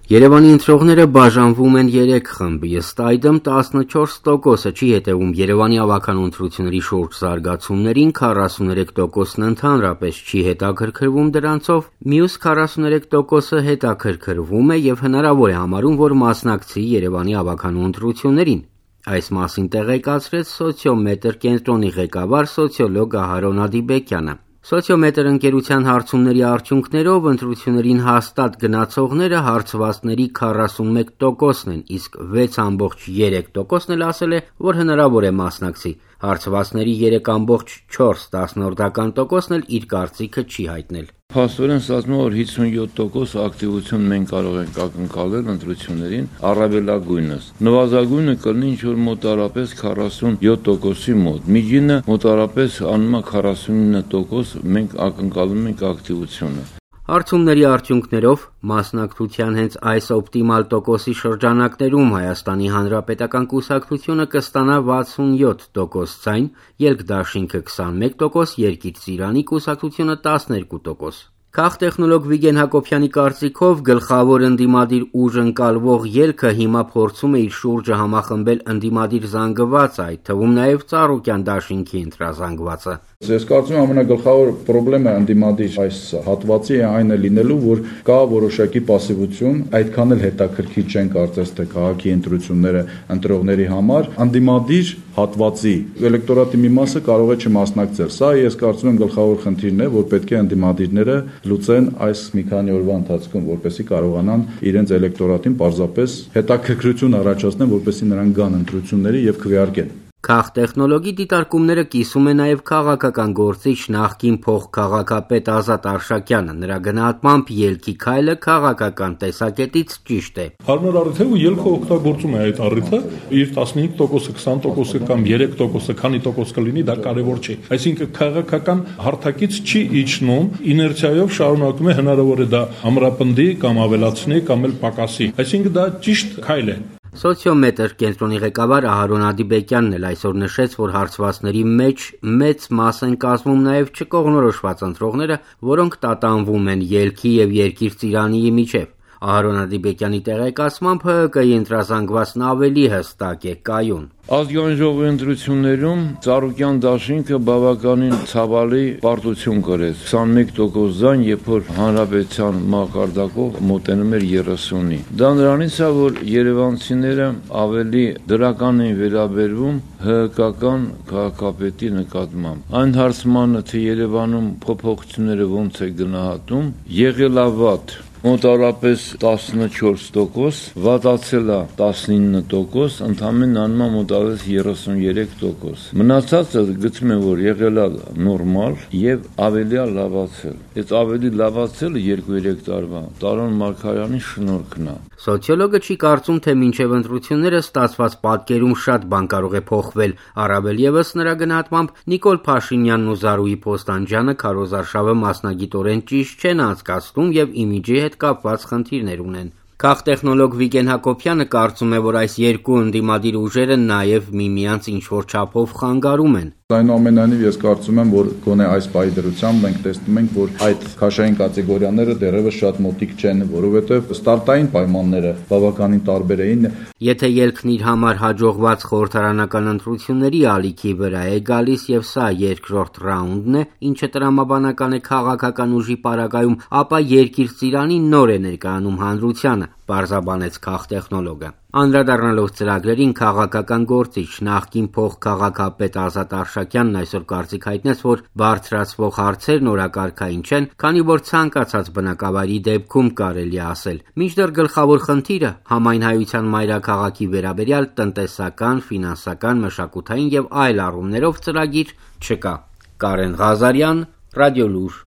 Երևանի ընտրողները բաժանվում են 3 խմբի, ըստ այդմ 14%-ը չի հետևում Երևանի ավագանու ընտրությունների շուրջ զարգացումներին, 43%-ն ընդհանրապես չի հետաքրքրվում դրանցով, մյուս 43%-ը հետաքրքրվում է եւ հնարավոր է համարում, որ մասնակցի Երևանի ավագանու ընտրություններին։ Այս մասին տեղեկացրեց Սոցիոմետր կենտրոնի ղեկավար սոցիոլոգ Ահարոն Ադիբեկյանը։ Սոցիոմետր ընկերության հարցումների արդյունքներով ընտրություններին հաստատ գնացողները հարցվածների 41%-ն են, իսկ 6.3%-ն էլ ասել է, որ հնարավոր է մասնակցի։ Հարցվածների 3.4%-ն էլ իր կարծիքը չի հայտնել։ Փաստորեն ստացվում է, որ 57% ակտիվություն մենք կարող ենք ակնկալել ընտրություններին, առավելագույնս։ Նվազագույնը կլինի ինչ-որ մոտարապես 47%-ի մոտ։ Միջինը մոտարապես անում է 49% մենք ակնկալում ենք ակտիվությունը։ Հարցումների արդյունքներով մասնակցության հենց այս օպտիմալ տոկոսի շրջանակներում Հայաստանի Հանրապետական կուսակցությունը կստանա 67% ձայն, Ելքդաշինքը 21%, Երկիր Ծիրանի կուսակցությունը 12%։ Քաղտեխնոլոգ Վիգեն Հակոբյանի կարծիքով գլխավոր ընդդիմադիր ուժ ընկալվող ելքը հիմա փորձում է իր շուրջը համախմբել ընդդիմադիր զանգվածը, այդ թվում նաև Ծառուկյան դաշինքի ընտրազանգվածը։ Ես կարծում եմ ամենագլխավոր խնդիրը ընդդիմադիր այս հատվածի այն է լինելու, որ կա որոշակի пассивություն, այդքան էլ հետաքրքիր չեն կարծես թե քաղաքի ընտրությունները ընտրողների համար, ընդդիմադիր հատվածի էլեկտորատի մի մասը կարող է չմասնակցել։ Սա ես կարծում եմ գլխավոր խնդիրն է, որ պետք է ընդդիմադիրները լուծեն այս մի քանի օրվա ընթացքում, որպեսզի կարողանան իրենց էլեկտորատին պարզապես հետաքրքրություն առաջացնեն, որպեսզի նրանք գան ընտրությունների եւ քվեարկեն։ Քաղտեխնոլոգի դիտարկումները կիսում է նաև քաղաքական գործիչ նախկին փոխքաղաքապետ Ազատ Արշակյանը։ Նրա գնահատմամբ ելքի քայլը քաղաքական տեսակետից ճիշտ է։ Հարմար առիթ է ու ելքը օգտագործում է այդ առիթը, իր 15%, 20% կամ 3%, քանի տոկոս կլինի, դա կարևոր չի։ Այսինքն քաղաքական հարթակից չի իջնում, իներցիայով շարունակում է, հնարավոր է դա ամրապնդի կամ ավելացնի կամ էլ պակասի։ Այսինքն դա ճիշտ քայլ է։ Սոցիոմետր կենտրոնի ղեկավար Ահարոն Ադիբեկյանն էլ այսօր նշեց, որ հարցվածների մեջ մեծ մաս են կազմում նաև չկողմնորոշված ընտրողները, որոնք տատանվում են ելքի եւ Երկիր Ծիրանի միջև։ Ահարոն Ադիբեկյանի տեղեկացմամբ ՀՀԿ-ի ընտրազանգվածն ավելի հստակ է կայուն։ Ազգային ժողովի ընտրություններում Ծառուկյան դաշինքը բավականին ցավալի պարտություն կրեց 21% ձայն, երբ որ հանրապետության մակարդակով մոտենում էր 30-ի։ Դա նրանից է, որ երևանցիները ավելի դրական են վերաբերվում ՀՀԿ-ական քաղաքապետի նկատմամբ։ Այն հարցմանը, թե Երևանում փոփոխությունները ոնց է գնահատում, եղել է վատ։ Մոտարապես 14%, վատացել է 19%, ընդամենը անում է մոտարապես 33%։ Մնացածը գտնում եմ, որ եղել է նորմալ եւ ավելի է լավացել։ Այդ ավելի լավացելը 2-3 տարվա Տարոն Մարգարյանի շնորհքն է։ Սոցիոլոգը չի կարծում, թե մինչև ընտրությունները ստացված պատկերում շատ բան կարող է փոխվել, առավել ևս նրա գնահատմամբ Նիկոլ Փաշինյանն ու Զարուհի Փոստանջյանը քարոզարշավը մասնագիտորեն ճիշտ չեն անցկացնում եւ իմիջի հետ կապված խնդիրներ ունեն։ Քաղտեխնոլոգ Վիգեն Հակոբյանը կարծում է, որ այս երկու ընդդիմադիր ուժերը նաև միմյանց ինչ-որ չափով խանգարում են։ Այնուամենայնիվ ես կարծում եմ, որ գոնե այս պահի դրությամբ մենք տեսնում ենք, որ այդ քաշային կատեգորիաները դեռևս շատ մոտիկ չեն, որովհետև ստարտային պայմանները բավականին տարբեր էին։ Եթե ելքն իր համար հաջողված խորհրդարանական ընտրությունների ալիքի վրա է գալիս եւ սա երկրորդ ռաունդն է, ինչը տրամաբանական է քաղաքական ուժի պարագայում, ապա Երկիր Ծիրանի նոր է ներկայանում հանրությանը, պարզաբանեց քաղտեխնոլոգը։ Անդրադառնալով ծրագրերին քաղաքական գործիչ նախկին փոխքաղաքապետ Ազատ Արշակյանն այսօր կարծիք հայտնեց, որ բարձրացվող հարցերն օրակարգային չեն, քանի որ ցանկացած բնակավայրի դեպքում կարելի է ասել։ Մինչդեռ գլխավոր խնդիրը համայնայնության մայրաքաղաքի վերաբերյալ տնտեսական, ֆինանսական, մշակութային եւ այլ առումներով ծրագիր չկա։ Կարեն Ղազարյան, Ռադիոլուր։